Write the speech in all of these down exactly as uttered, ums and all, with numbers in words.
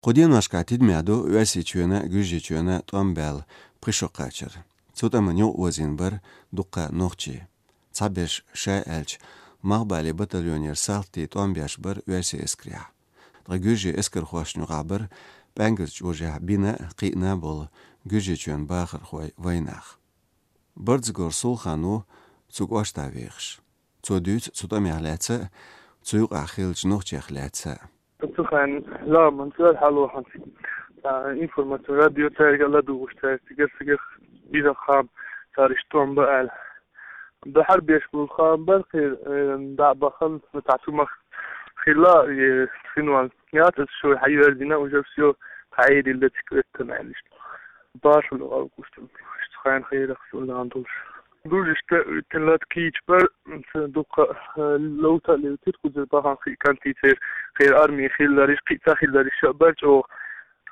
Кху деношкахь тидамехь ду Оьрсийчоьнан а, Гуьржийчоьнан а тӀом баьлла пхи шо кхачар. Цу тӀамна юкъаозийна бара дуккха нохчий. Цхьаберш, ша аьлча, Малхбален батальонера салтий тӀом беш бара оьрсийн эскарехь. Ткъа гуьржийн эскархошна юкъахь бара ПӀаьнгазан чӀожехь бина а, кхиъна а болу Гуьржийчоьнан бахархой, вайнах. Бардзагор Сулхан ву цу кӀоштахь вехаш. Цо дуьйцу цу тӀамех лаьцна а, цу юкъахь хиллачу нохчех лаьцна а. Цу хенахь ламанца хьалохьанца, а, информаци радио цаьрга а ладугӀуш, цаьрга цигара-цигара бира хам, цара иштта тӀом бан аьлла. Дахьар беш болу хам бара кхин, э, дӀа а бахана, ну, цхьа цу мах хилла, э, синван яц, аса шо хьайоьрзина, уже всё, хьаийдина цига оьттина аьлла иштта. Башхалла гӀалгӀуш ду, иштта хенахь хьерах шо нан долуш. Дуьйцуш тӀе оьттина лата кийча бара, ца дуккха, э, ловта а левтира, кхузара бахана кхин кантий церан, кхеран арми хилларш, кхин ца хилларш а бара чӀогӀа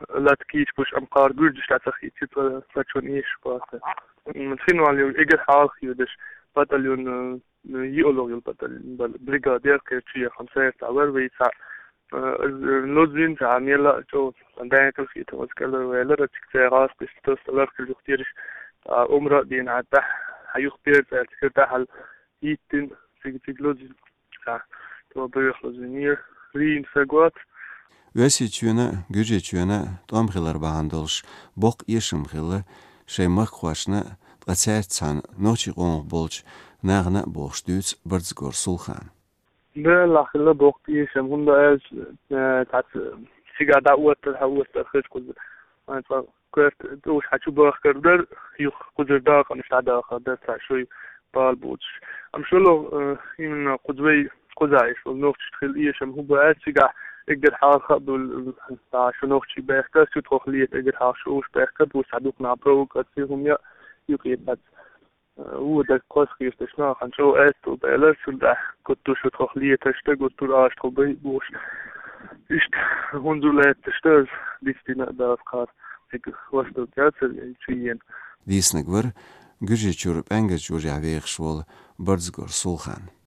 лата кийча буш, амма кхара гуьржаш дӀа ца хиъча, ца, ца чон эшаш бац. М, синван йолу эгар хьалха йодаш, батальон, э, йиъалгӀа йолу батальон, бал-, бригада яра кхеран чу яхана, сайрца вара вай цхьа, э, лозина цхьа мелла а чӀогӀа, сан даьнкал хетам, аса кӀелхьарваьллера, цига цхьа гӀазкхаш, тосталарх хир юхтираш, а, умра а дийна, а, тӀаьхьа, хьан юхпера цӀаьрца хир тӀаьхьа хӀиттина, цига-цига лозина. Ца, то бехло зинера, вийна сагот. Оьрсийчоьнан а, Гуьржийчоьнан а тӀом хилар бахьана долуш боккха эшам хилла шайн махкахошна а, ткъа цаьрца цхьаьна нохчийн къомах болчу нахана а бохуш дуьйцу Бардзагор Сулхана. Делахь хилла боккха эшам, хӀунда аьлча, э, цхьацца цигахь дӀаоттар, хьаоттар хеза кхуза. Вайн цкъа коьрта тӀе уьш хьан чу бахкар дара, юха кхузара дакъанаш дӀадахар дара, цхьа шуй бала боцуш. Амма шолгӀа, э, именно кхуза вай кхузахь эшна болу нохчашна хилла эшам хӀун бу аьлча, цигахь эггара хьалха а долу, э, цхьа шо нохчий баьхкар, цу тхох лета эггара хьалха шо уьш баьхкар, бу цхьа дукха нах провокаци хӀума я, юкъе бац. Вон дерг кхоссахеташ нахана чӀогӀа аьтту баьлар, цул тӀаьхьа гуттар а шу тхох леташ дан, гуттар а аша тхо бай бохуш. Иштта хӀунда лаьтташ дан, дицдина а дац кхара, цига восток яцара, я чу йена. Дийцинарг вара Гуьржийчуьра ПӀаьнгазан чӀожехь вехаш волу Бардзагор Сулхан.